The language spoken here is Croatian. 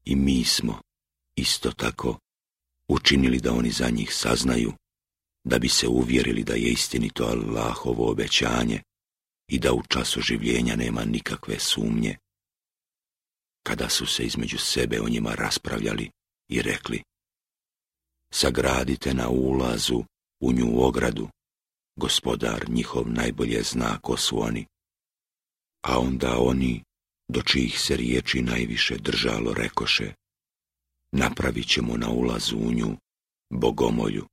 I mi smo, isto tako, učinili da oni za njih saznaju, da bi se uvjerili da je istinito Allahovo obećanje i da u času življenja nema nikakve sumnje. Kada su se između sebe o njima raspravljali i rekli: sagradite na ulazu u nju ogradu, Gospodar njihov najbolje zna ko su oni. A onda oni, do čijih se riječi najviše držalo, rekoše: napravit ćemo na ulazu u nju bogomolju.